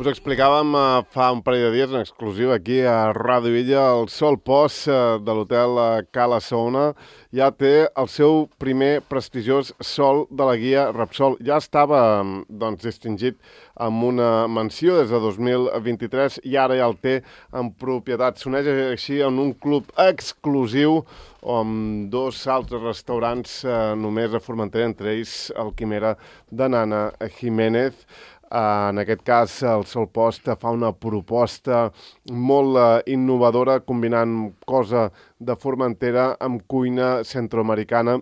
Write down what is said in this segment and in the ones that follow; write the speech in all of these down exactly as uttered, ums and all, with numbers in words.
Us explicàvem uh, fa un parell de dies, en exclusiva aquí a Ràdio Illa, el Sol Post uh, de l'hotel uh, Cala Saona ja té el seu primer prestigiós sol de la guia Repsol. Ja estava doncs, distingit amb una menció des de dos mil vint-i-tres i ara ja el té en propietat. S'uneix així en un club exclusiu amb dos altres restaurants eh, només a Formentera, entre ells el Quimera de Nana Jiménez. Uh, en aquest cas, el Sol Post fa una proposta molt uh, innovadora, combinant cosa de Formentera amb cuina centroamericana.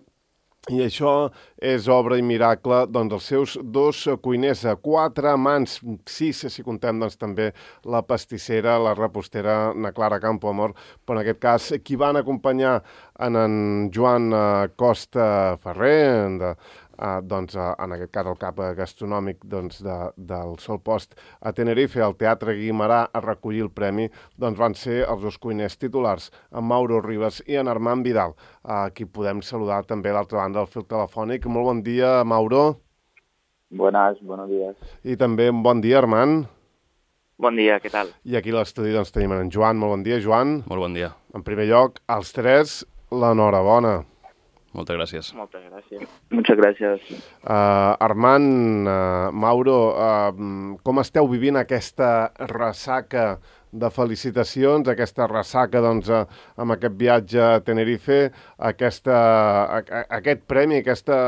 I això és obra i miracle doncs, dels seus dos cuiners, quatre mans, sis si contem doncs, també la pastissera, la repostera, na Clara Campoamor, però en aquest cas qui van acompanyar en, en Joan uh, Costa Ferrer, de, uh, doncs, uh, en aquest cas el cap gastronòmic doncs, de, del Sol Post a Tenerife, al Teatre Guimerà, a recollir el premi, doncs van ser els dos cuiners titulars, en Mauro Ribas i en Armand Vidal, a qui podem saludar també a l'altra banda del fil telefònic. Molt bon dia, Mauro. Buenas, buenos días. I també un bon dia, Armand. Bon dia, què tal? I aquí a l'estudi doncs, tenim en Joan. Molt bon dia, Joan. Molt bon dia. En primer lloc, als tres, l'enhorabona. Moltes gràcies. Moltes gràcies. Muchas gracias. Uh, Armand, uh, Mauro, uh, com esteu vivint aquesta ressaca de felicitacions, aquesta ressaca doncs, uh, amb aquest viatge a Tenerife, aquesta, a, a, aquest premi, aquesta,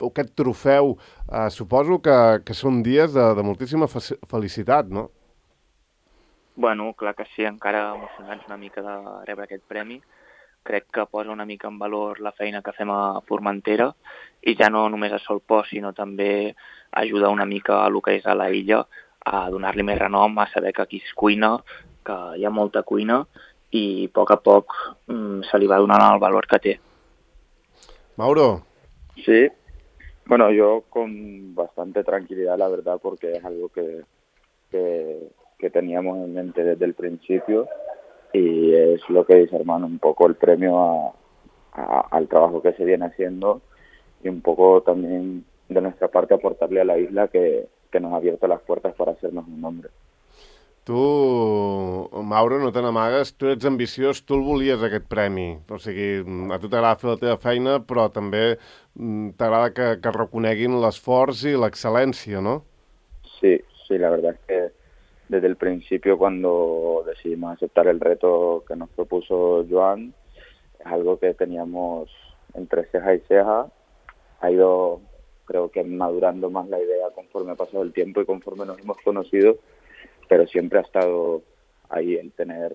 aquest trofeu, uh, suposo que, que són dies de, de moltíssima fe felicitat, no? Bueno, clar que sí, encara emocionats una mica de rebre aquest premi. Crec que posa una mica en valor la feina que fem a Formentera i ja no només a Sol Post, sinó també ajuda una mica a lo que és a la illa, a donar-li més renom, a saber que aquí es cuina, que hi ha molta cuina i a poc a poc mm, se li va donant el valor que té. Mauro. Sí, bueno, yo con bastante tranquilidad, la verdad, porque es algo que, que, que teníamos en mente desde el principio. Y es lo que dice, hermano, un poco el premio a, a, al trabajo que se viene haciendo y un poco también de nuestra parte aportarle a la isla que, que nos ha abierto las puertas para hacernos un nombre. Tu, Mauro, no te n'amagues, tu ets ambiciós, tu el volies, aquest premi. O sigui, a tu t'agrada fer la teva feina, però també t'agrada que, que reconeguin l'esforç i l'excel·lència, ¿no? Sí, sí, la verdad es que desde el principio, cuando decidimos aceptar el reto que nos propuso Joan, es algo que teníamos entre ceja y ceja. Ha ido, creo que madurando más la idea conforme ha pasado el tiempo y conforme nos hemos conocido, pero siempre ha estado ahí el tener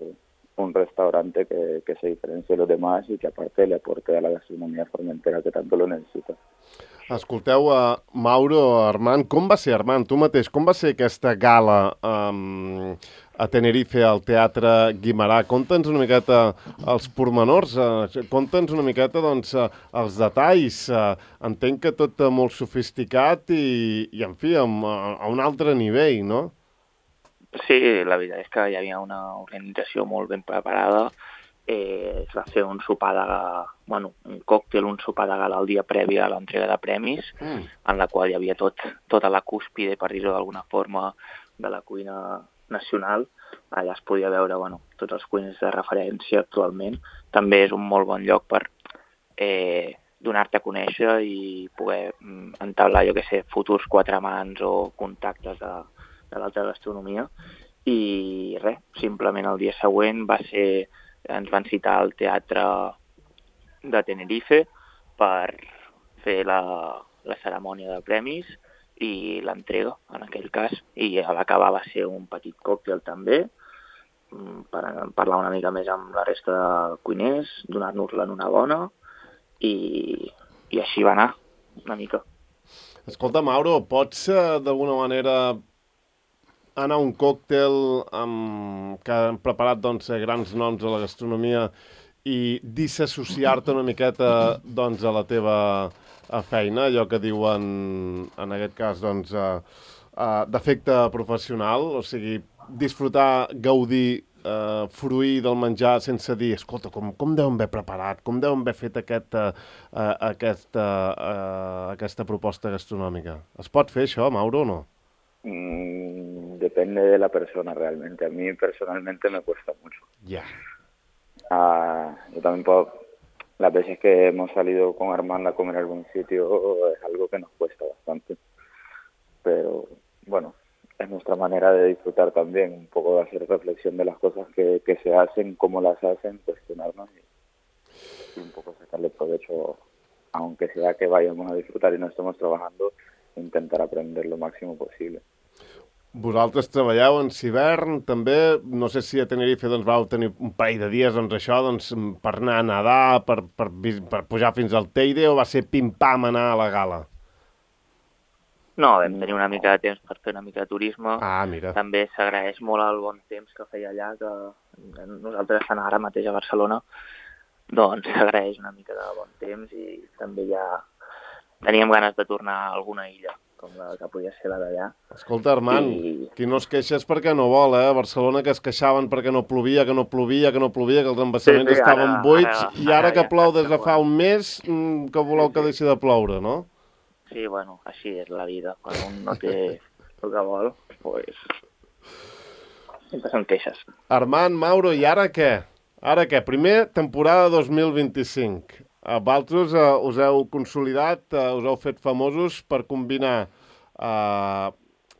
un restaurante que, que se diferencie de los demás y que aparte le aporte a la gastronomía formentera que tanto lo necesita. Escolteu, uh, Mauro, Armand, com va ser, Armand, tu mateix, com va ser aquesta gala um, a Tenerife, al Teatre Guimerà? Conta'ns una miqueta els pormenors, uh, conta'ns una miqueta doncs, uh, els detalls. Uh, entenc que tot uh, molt sofisticat i, i en fi, amb, uh, a un altre nivell, no? Sí, la veritat és que hi havia una organització molt ben preparada. Eh, es va fer un sopar de gala, bueno, un còctel, un sopar de gala el dia previ a l'entrega de premis, mm. en la qual hi havia tot, tota la cúspide, per dir-ho d'alguna forma, de la cuina nacional. Allà es podia veure bueno, tots els cuiners de referència actualment. També és un molt bon lloc per eh, donar-te a conèixer i poder mm, entablar, jo què sé, futurs quatre mans o contactes de, de l'alta gastronomia. I res, simplement el dia següent va ser... ens van citar al Teatre de Tenerife per fer la, la cerimònia de premis i l'entrega, en aquell cas. I a l'acabar va ser un petit còctel també, per parlar una mica més amb la resta de cuiners, donar-nos-la en una bona, i, i així va anar, una mica. Escolta, Mauro, pots d'alguna manera anar a un còctel amb... que han preparat doncs, grans noms de la gastronomia i disassociar-te una miqueta doncs, a la teva a feina, allò que diuen en aquest cas doncs, a, a, d'efecte professional, o sigui, disfrutar, gaudir, eh, fruir del menjar sense dir, escolta, com, com deuen haver preparat, com deuen haver fet aquest, eh, aquesta, eh, aquesta proposta gastronòmica. Es pot fer això, Mauro, o no? Mm, de depende de la persona realmente. A mí personalmente me cuesta mucho. Ya. Ah, yo también puedo, las veces que hemos salido con Armand a comer a algún sitio es algo que nos cuesta bastante. Pero bueno, es nuestra manera de disfrutar también, un poco de hacer reflexión de las cosas que, que se hacen, cómo las hacen, cuestionarnos y, y un poco sacarle provecho, aunque sea que vayamos a disfrutar y no estemos trabajando, intentar aprender lo máximo posible. Vosaltres treballeu en Civern, també, no sé si a Tenerife doncs, vau tenir un parell de dies doncs, això, doncs, per anar a nedar, per, per, per pujar fins al Teide, o va ser pim-pam anar a la gala? No, vam tenir una mica de temps per fer una mica de turisme. Ah, mira. També s'agraeix molt el bon temps que feia allà, que nosaltres estem ara mateix a Barcelona, doncs s'agraeix una mica de bon temps i també ja teníem ganes de tornar a alguna illa, com la que podia ser la d'allà. Escolta, Armand, I... qui no es queixa és perquè no vol, eh? A Barcelona que es queixaven perquè no plovia, que no plovia, que no plovia, que els embassaments sí, sí, estaven ara, buits, ara, i ara, ara que plou des de fa un mes, que voleu sí, sí. que deixi de ploure, no? Sí, bueno, així és la vida. Quan un no té el que vol, pues... sempre són queixes. Armand, Mauro, i ara què? Ara què? Primer, temporada dos mil vint-i-cinc. Vosaltres eh, us heu consolidat, eh, us heu fet famosos per combinar eh,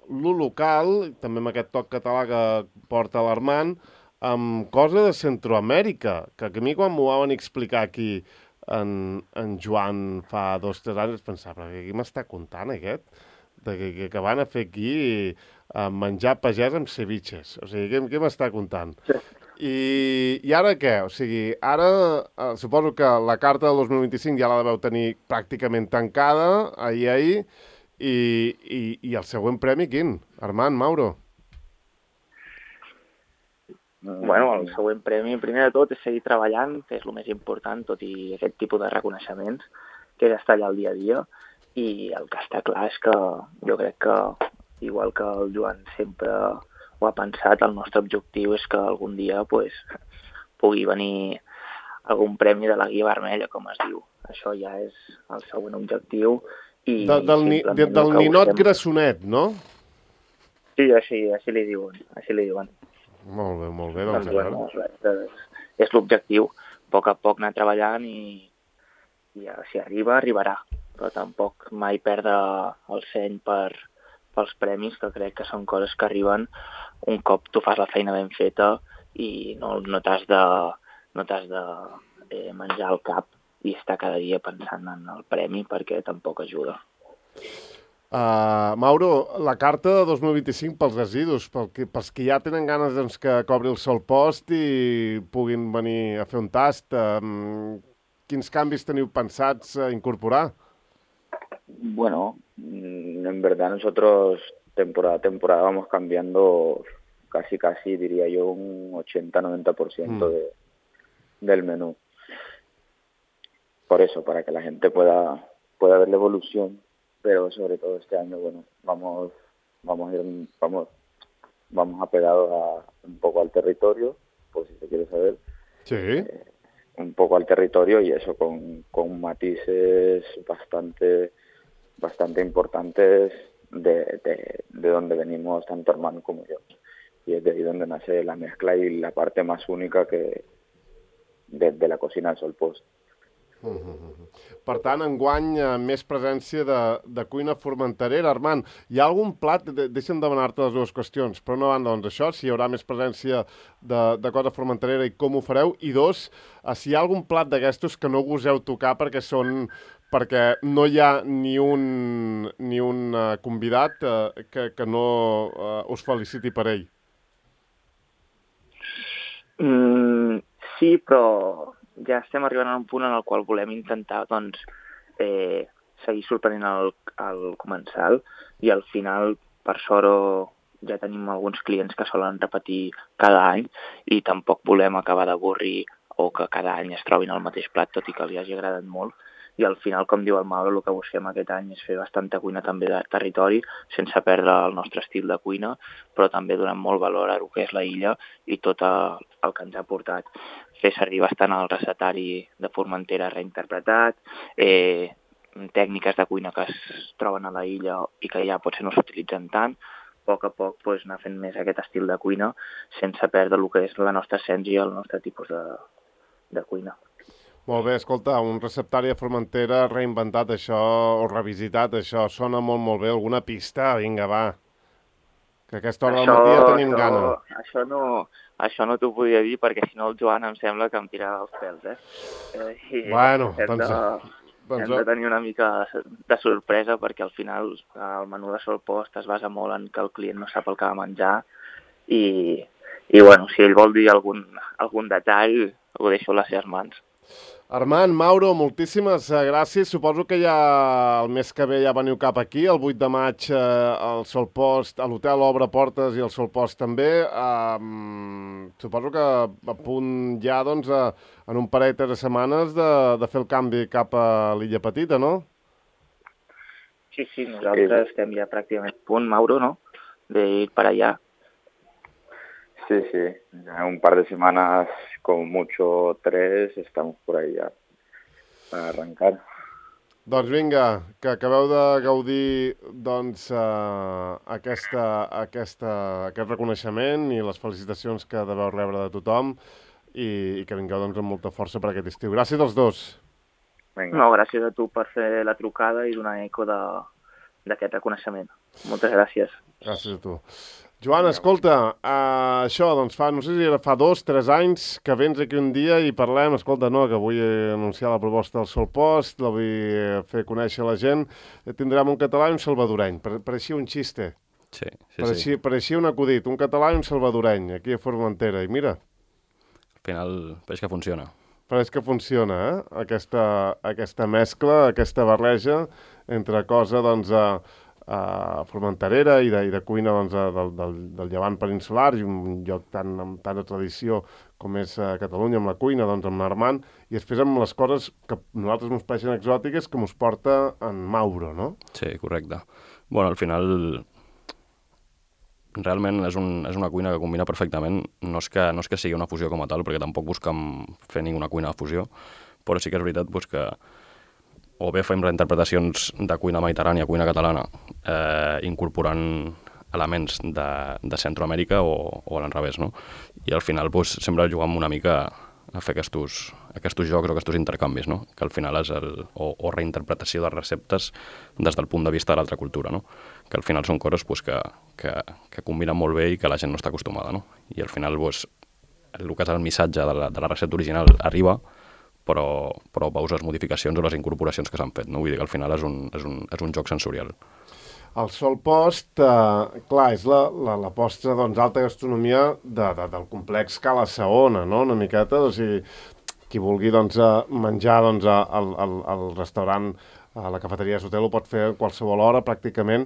lo local, també amb aquest toc català que porta l'Armand, amb cosa de Centroamèrica, que a mi quan m'ho van explicar aquí en, en Joan fa dos o tres anys es pensava, però què m'està contant aquest? De que, que, que van a fer aquí eh, menjar pagès amb ceviches. O sigui, què, què m'està contant? Sí. I, I ara què? O sigui, ara eh, suposo que la carta del dos mil vint-i-cinc ja la deveu tenir pràcticament tancada, ahir, ahir, i, i, i el següent premi quin? Armand, Mauro? Bueno, el següent premi, primer de tot, és seguir treballant, que és el més important, tot i aquest tipus de reconeixements, que és estar allà al dia a dia, i el que està clar és que jo crec que, igual que el Joan sempre ho ha pensat, el nostre objectiu és que algun dia pues, pugui venir algun premi de la Guia Vermella, com es diu. Això ja és el següent objectiu. I de, del ni, de, del ninot busquem... grassonet, no? Sí, així, així li diuen, així li diuen. Molt bé, molt bé. Doncs, doncs, doncs, doncs, és l'objectiu. A poc a poc anar treballant i, i si arriba, arribarà. Però tampoc mai perdre el seny per, pels premis, que crec que són coses que arriben un cop tu fas la feina ben feta i no, no t'has de, no t'has de eh, menjar el cap i estar cada dia pensant en el premi, perquè tampoc ajuda. Uh, Mauro, la carta de dos mil vint-i-cinc pels residus, pel que, pels que ja tenen ganes doncs, que cobri el sol post i puguin venir a fer un tast, um, quins canvis teniu pensats a incorporar? Bueno, en verdad nosotros temporada a temporada vamos cambiando casi, casi, diría yo, un ochenta a noventa por ciento mm. de, del menú. Por eso, para que la gente pueda, pueda ver la evolución. Pero sobre todo este año, bueno, vamos vamos a ir, vamos, vamos apegados a, un poco al territorio, por si se quiere saber. Sí. Eh, un poco al territorio y eso con, con matices bastante bastante importantes de, de, de donde venimos tanto Armand como yo. Y es de ahí donde nace la mezcla y la parte más única que de, de la cocina del Sol Post. Uh-huh. Per tant, enguany eh, més presència de, de cuina formenterera. Armand, hi ha algun plat, de, deixa'm demanar-te les dues qüestions, per una banda, doncs això, si hi haurà més presència de, de cosa formenterera i com ho fareu, i dos, eh, si hi ha algun plat d'aquestos que no goseu tocar perquè són perquè no hi ha ni un, ni un uh, convidat uh, que, que no uh, us feliciti per ell. Mm, sí, però ja estem arribant a un punt en el qual volem intentar doncs, eh, seguir sorprenent el, el comensal i al final, per sort, ja tenim alguns clients que solen repetir cada any i tampoc volem acabar d'avorrir o que cada any es trobin el mateix plat, tot i que li hagi agradat molt. I al final, com diu el Mauro, el que busquem aquest any és fer bastanta cuina també de territori, sense perdre el nostre estil de cuina, però també donant molt valor a el que és la illa i tot el que ens ha portat. Fer servir bastant el recetari de Formentera reinterpretat, eh, tècniques de cuina que es troben a la illa i que ja potser no s'utilitzen tant, a poc a poc pues, anar fent més aquest estil de cuina sense perdre el que és la nostra essència, el nostre tipus de, de cuina. Molt bé, escolta, un receptari de Formentera reinventat això, o revisitat, això sona molt, molt bé. Alguna pista? Vinga, va. Que a aquesta hora del matí ja tenim això, gana. Això no, això no t'ho podia dir, perquè si no el Joan em sembla que em tirarà els pèls, eh? eh i bueno, hem doncs... De, doncs... hem de tenir una mica de sorpresa, perquè al final el menú de Solpost es basa molt en que el client no sap el que ha de menjar, i, i bueno, si ell vol dir algun, algun detall, ho deixo a les seves mans. Armand, Mauro, moltíssimes gràcies. Suposo que ja el mes que ve ja veniu cap aquí, el vuit de maig eh, al Solpost, a l'hotel obre portes i el Solpost també. Um, suposo que a punt ja, doncs, a, en un parell de setmanes de, de fer el canvi cap a l'Illa Petita, no? Sí, sí, nosaltres estem ja pràcticament a punt, Mauro, ¿no?, de ir para allá. Sí, sí, en un par de semanas, como mucho tres, estamos por ahí ya para arrancar. Doncs vinga, que acabeu de gaudir doncs, uh, aquesta, aquesta, aquest reconeixement i les felicitacions que deveu rebre de tothom i, i que vingueu doncs, amb molta força per aquest estiu. Gràcies als dos. Vinga. No, gràcies a tu per fer la trucada i donar eco d'aquest reconeixement. Moltes gràcies. Gràcies a tu. Joan, escolta, uh, això, doncs fa, no sé si era fa dos, tres anys que vens aquí un dia i parlem, escolta, no, que vull anunciar la proposta del Solpost, la vull fer conèixer a la gent, tindrem un català i un salvadoreny, pareixia un xiste. Sí, sí, pareixia, sí. Pareixia un acudit, un català i un salvadoreny, aquí a Formentera, i mira. Al final, pareix que funciona. Pareix que funciona, eh? Aquesta, aquesta mescla, aquesta barreja entre cosa, doncs, a... Uh, formenterera i de, i de cuina doncs, del, del, del llevant peninsular i un lloc tan, amb tanta tradició com és uh, Catalunya amb la cuina, doncs amb l'Armand, i després amb les coses que a nosaltres ens pareixen exòtiques que ens porta en Mauro, no? Sí, correcte. Bueno, al final realment és, un, és una cuina que combina perfectament. No és, que, no és que sigui una fusió com a tal, perquè tampoc busquem fer ninguna cuina de fusió, però sí que és veritat doncs, que o bé fem reinterpretacions de cuina mediterrània, cuina catalana, eh, incorporant elements de, de Centroamèrica o, o a l'enrevés, no? I al final doncs, sempre juguem una mica a fer aquests, aquests jocs o aquests intercanvis, no? Que al final és el, o, o reinterpretació de receptes des del punt de vista de l'altra cultura, no? Que al final són coses doncs, que, que, que combinen molt bé i que la gent no està acostumada, no? I al final doncs, el que és el missatge de la, de la recepta original arriba, però, però veus les modificacions o les incorporacions que s'han fet, no? Vull dir que al final és un, és un, és un joc sensorial. El Solpost, eh, clar, és la, la, la postre doncs, alta gastronomia de, de, del complex Cala Saona, no?, una miqueta, o sigui, qui vulgui doncs, menjar doncs, al, al, al restaurant, a la cafeteria de l'hotel ho pot fer a qualsevol hora, pràcticament,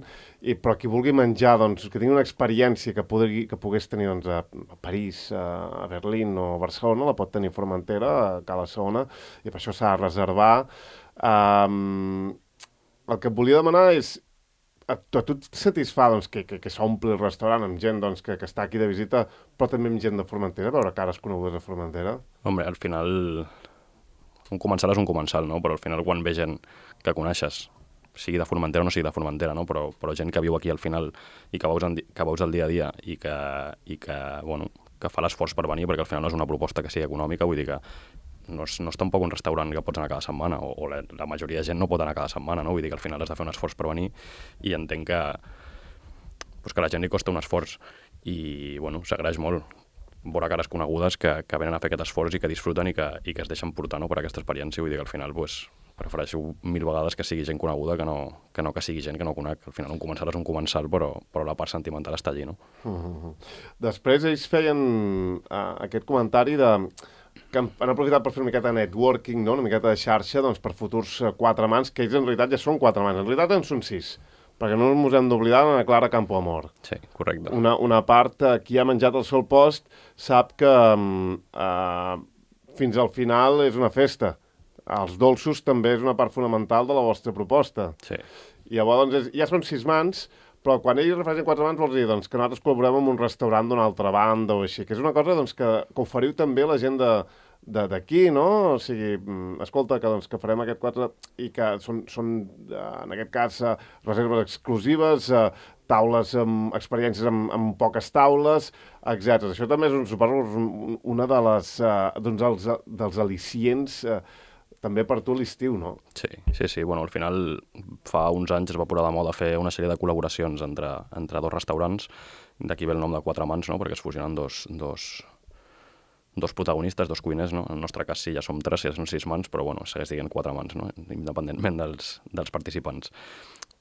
i, però qui vulgui menjar, doncs, que tingui una experiència que, pugui, que pogués tenir doncs, a, a París, a Berlín o a Barcelona, la pot tenir a Formentera, a Cala Saona, i per això s'ha de reservar. Um, el que et volia demanar és, a, a tu et satisfà doncs, que, que, que s'ompli el restaurant amb gent doncs, que, que està aquí de visita, però també amb gent de Formentera, veure cares conegudes a Formentera? Home, al final un comensal és un comensal, no? Però al final quan ve gent que coneixes, sigui de Formentera o no sigui de Formentera, no? Però, però gent que viu aquí al final i que veus, en, que veus el dia a dia i que, i que, bueno, que fa l'esforç per venir, perquè al final no és una proposta que sigui econòmica, vull dir que no és, no és tampoc un restaurant que pots anar cada setmana, o, o la, la majoria de gent no pot anar cada setmana, no? Vull dir que al final has de fer un esforç per venir i entenc que, pues que a la gent li costa un esforç i, bueno, s'agraeix molt veure cares conegudes que, que venen a fer aquest esforç i que disfruten i que, i que es deixen portar, no?, per aquesta experiència. Vull dir que al final pues, prefereixo mil vegades que sigui gent coneguda que no que, no que sigui gent que no conec. Al final un comensal és un comensal, però, però la part sentimental està allí, no? Uh-huh. Després ells feien uh, aquest comentari de que han, han aprofitat per fer una miqueta de networking, no?, una miqueta de xarxa doncs, per futurs uh, quatre mans, que ells en realitat ja són quatre mans. En realitat en són sis, perquè no ens hem d'oblidar d'Anna Clara Campoamor. Sí, correcte. Una, una part, eh, qui ha menjat el Solpost sap que eh, fins al final és una festa. Els dolços també és una part fonamental de la vostra proposta. Sí. I llavors doncs, és, ja són sis mans, però quan ells refereixen quatre mans vols dir doncs, que nosaltres col·laborem amb un restaurant d'una altra banda o així, que és una cosa doncs, que, que oferiu també a la gent de d'aquí, no? O sigui, escolta, que, doncs, que farem aquest quatre i que són, són en aquest cas, reserves exclusives, taules amb experiències amb, amb poques taules, etcètera. Això també és, un, suposo, una de les, uh, doncs dels, dels al·licients uh, també per tu l'estiu, no? Sí, sí, sí. Bueno, al final, fa uns anys es va posar de moda fer una sèrie de col·laboracions entre, entre dos restaurants, d'aquí ve el nom de Quatre Mans, no? Perquè es fusionen dos, dos, dos protagonistes, dos cuiners, no? En el nostre cas sí, ja som tres, ja són sis mans, però bueno, segueix dient Quatre Mans, no? Independentment dels, dels participants.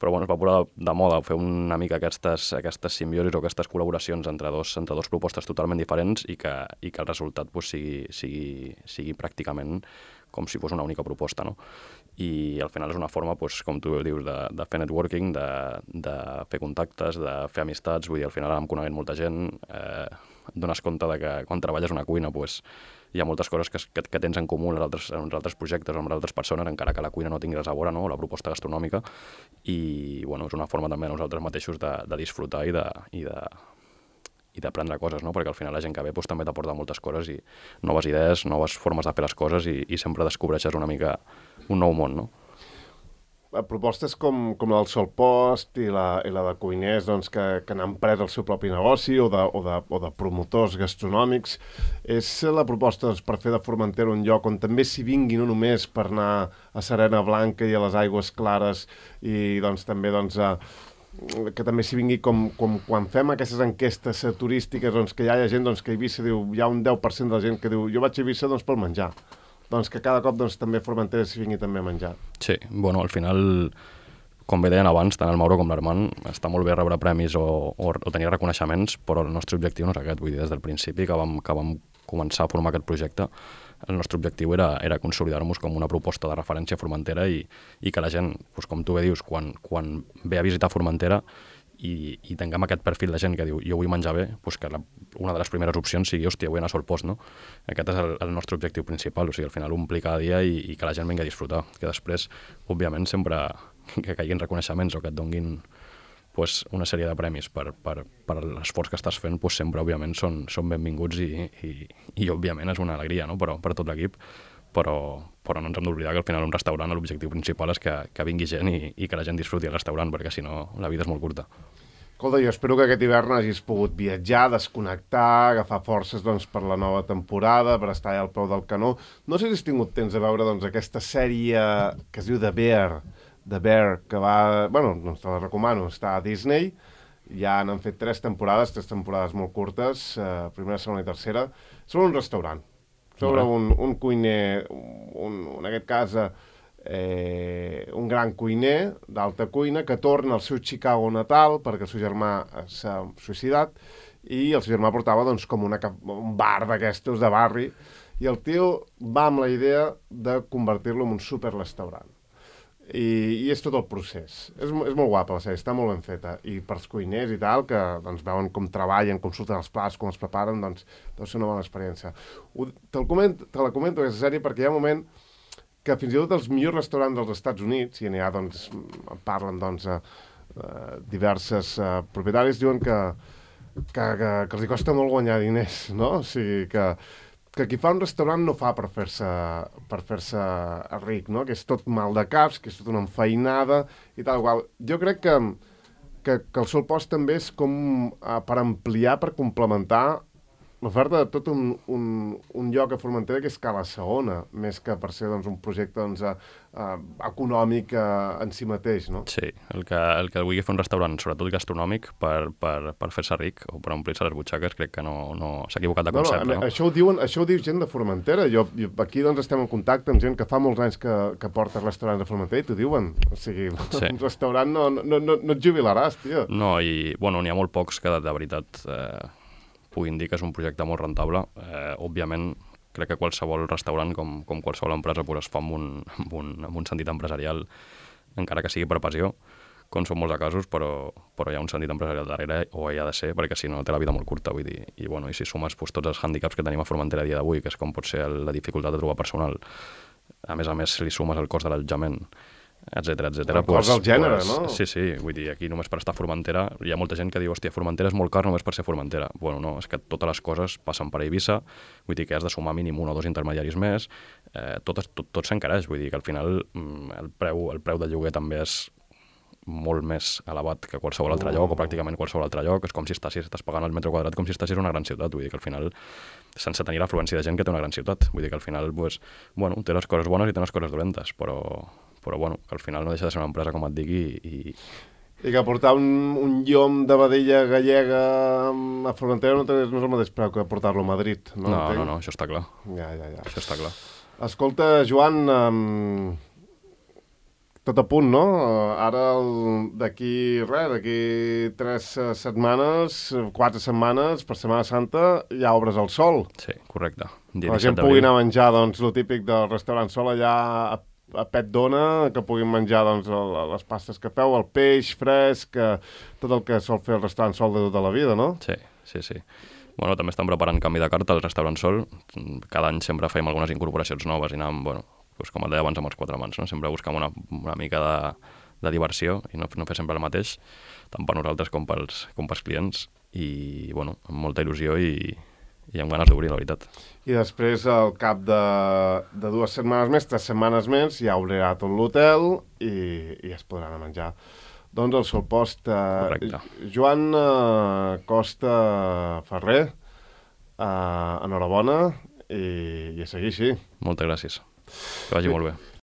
Però bueno, es va posar de moda fer una mica aquestes, aquestes simbiosis o aquestes col·laboracions entre dos, entre dos propostes totalment diferents i que, i que el resultat pues, sigui, sigui, sigui pràcticament com si fos una única proposta, no? I al final és una forma, pues, com tu dius, de, de fer networking, de, de fer contactes, de fer amistats. Vull dir, al final ara em coneguent molta gent, eh, et dones compte de que quan treballes una cuina pues, hi ha moltes coses que, que, que tens en comú en els altres, en els altres projectes o amb altres persones, encara que la cuina no tingui res a veure, no? La proposta gastronòmica. I bueno, és una forma també nosaltres mateixos de, de disfrutar i de, i de, i d'aprendre coses, no? Perquè al final la gent que ve pues, també t'aporta moltes coses i noves idees, noves formes de fer les coses i, i sempre descobreixes una mica un nou món, no? Propostes com, com la del Solpost i la, i la de cuiners doncs, que, que han pres el seu propi negoci o de, o de, o de promotors gastronòmics. És la proposta doncs, per fer de Formentera un lloc on també s'hi vingui no només per anar a Serena Blanca i a les Aigües Clares i doncs, també doncs, a, que també s'hi vingui com, com quan fem aquestes enquestes turístiques doncs, que ja hi ha gent doncs, que a Eivissa diu, hi ha un deu per cent de la gent que diu jo vaig a Eivissa doncs, pel menjar. Doncs que cada cop doncs, també Formentera s'hi vingui també a menjar. Sí, bueno, al final, com bé deien abans, tant el Mauro com l'Armand, està molt bé rebre premis o, o, o tenir reconeixements, però el nostre objectiu no és aquest. Vull dir, des del principi que vam, que vam començar a formar aquest projecte, el nostre objectiu era, era consolidar-nos com una proposta de referència a Formentera i, i que la gent, doncs, com tu bé dius, quan, quan ve a visitar Formentera i, i tinguem aquest perfil de gent que diu jo vull menjar bé, doncs que la, una de les primeres opcions sigui, hòstia, vull anar a Solpost, no? Aquest és el, el nostre objectiu principal, o sigui, al final omplir cada dia i, i que la gent vingui a disfrutar, que després, òbviament, sempre que caiguin reconeixements o que et donguin pues, una sèrie de premis per, per, per l'esforç que estàs fent, pues, sempre, òbviament, són, són benvinguts i, i, i, òbviament, és una alegria, no?, però, per tot l'equip, però, però no ens hem d'oblidar que al final un restaurant l'objectiu principal és que, que vingui gent i, i que la gent disfruti al restaurant, perquè si no la vida és molt curta. Escolta, jo espero que aquest hivern hagis pogut viatjar, desconnectar, agafar forces doncs, per la nova temporada, per estar allà al peu del canó. No sé si has tingut temps de veure doncs, aquesta sèrie que es diu The Bear, The Bear, que va... Bueno, doncs te la recomano, està a Disney, ja n'han fet tres temporades, tres temporades molt curtes, eh, primera, segona i tercera, sobre un restaurant. Sobre un, un cuiner, un, en aquest cas, eh, un gran cuiner d'alta cuina que torna al seu Chicago natal perquè el seu germà s'ha suïcidat i el seu germà portava doncs, com una, un bar d'aquestos de barri i el tio va amb la idea de convertir-lo en un superrestaurant. I, i és tot el procés. És, és molt guapa la sèrie, està molt ben feta. I per als cuiners i tal, que doncs, veuen com treballen, com surten els plats, com els preparen, doncs deu ser una bona experiència. Ho, te, comento, te la comento, aquesta sèrie, perquè hi ha un moment que fins i tot els millors restaurants dels Estats Units, i n'hi ha, doncs, parlen, doncs, a, a diverses a, propietaris, diuen que, que, que, que els hi costa molt guanyar diners, no? O sigui que que qui fa un restaurant no fa per fer-se per fer-se ric, no? Que és tot mal de caps, que és tot una enfeinada i tal qual. Jo crec que, que, que el Solpost també és com uh, per ampliar, per complementar l'oferta de tot un, un, un lloc a Formentera que és Cala Saona, més que per ser doncs, un projecte doncs, uh, uh, econòmic uh, en si mateix, no? Sí, el que, el que vulgui fer un restaurant, sobretot gastronòmic, per, per, per fer-se ric o per omplir-se les butxaques, crec que no, no s'ha equivocat de concepte. No, no, no? Això, ho diuen, això ho diu gent de Formentera. Jo, jo, aquí doncs, estem en contacte amb gent que fa molts anys que, que porta restaurants de Formentera i t'ho diuen. O sigui, sí. Un restaurant no, no, no, no et jubilaràs, tio. No, i bueno, n'hi ha molt pocs que de, de veritat... Eh... puguin dir que és un projecte molt rentable. Eh, òbviament, crec que qualsevol restaurant, com, com qualsevol empresa, pues, es fa amb un, amb, un, amb un sentit empresarial, encara que sigui per passió, com són molts de casos, però, però hi ha un sentit empresarial darrere, o hi ha de ser, perquè si no té la vida molt curta, vull dir. I, bueno, i si sumes pues, tots els hàndicaps que tenim a Formentera a dia d'avui, que és com pot ser la dificultat de trobar personal, a més a més li sumes el cost de l'allotjament, etcètera, etcètera. El cost del gènere, pues, no? Sí, sí, vull dir, aquí només per estar a Formentera, hi ha molta gent que diu, hòstia, Formentera és molt car només per ser Formentera. Bueno, no, és que totes les coses passen per Eivissa, vull dir que has de sumar mínim un o dos intermediaris més, eh, tot, tot, tot s'encareix, vull dir que al final el preu, el preu del lloguer també és molt més elevat que qualsevol altre lloc, o pràcticament qualsevol altre lloc. És com si estàs, estàs pagant el metre quadrat com si estàs en una gran ciutat. Vull dir que al final, sense tenir l'afluència de gent que té una gran ciutat. Vull dir que al final, pues, bueno, té les coses bones i té les coses dolentes, però, però bueno, que al final no deixa de ser una empresa, com et digui, i... I que portar un, un llom de vedella gallega a Formentera no, no és el mateix preu que portar-lo a Madrid, no? No, no, no, això està clar. Ja, ja, ja. Això està clar. Escolta, Joan, um, tot a punt, no? Ara, d'aquí res, d'aquí tres setmanes, quatre setmanes, per Setmana Santa, ja obres el Sol. Sí, correcte. Que la gent pugui anar a menjar, doncs, el típic del restaurant Sol allà a a Pet Dona, que puguin menjar doncs, les pastes que feu, el peix fresc, tot el que sol fer el restaurant Sol de tota la vida, no? Sí, sí, sí. Bueno, també estan preparant canvi de carta al restaurant Sol. Cada any sempre fem algunes incorporacions noves i anem, bueno, doncs com et deia abans amb els quatre mans, no? Sempre buscam una, una mica de, de diversió i no, no fer sempre el mateix, tant per nosaltres com pels, com pels clients, i bueno, amb molta il·lusió i, i amb ganes d'obrir, la veritat. I després, al cap de, de dues setmanes més, tres setmanes més, ja obrirà tot l'hotel i, i es podran anar a menjar. Doncs el Solpost, eh, Joan eh, Costa Ferrer, eh, enhorabona i, i a seguir així. Moltes gràcies. Que vagi molt bé.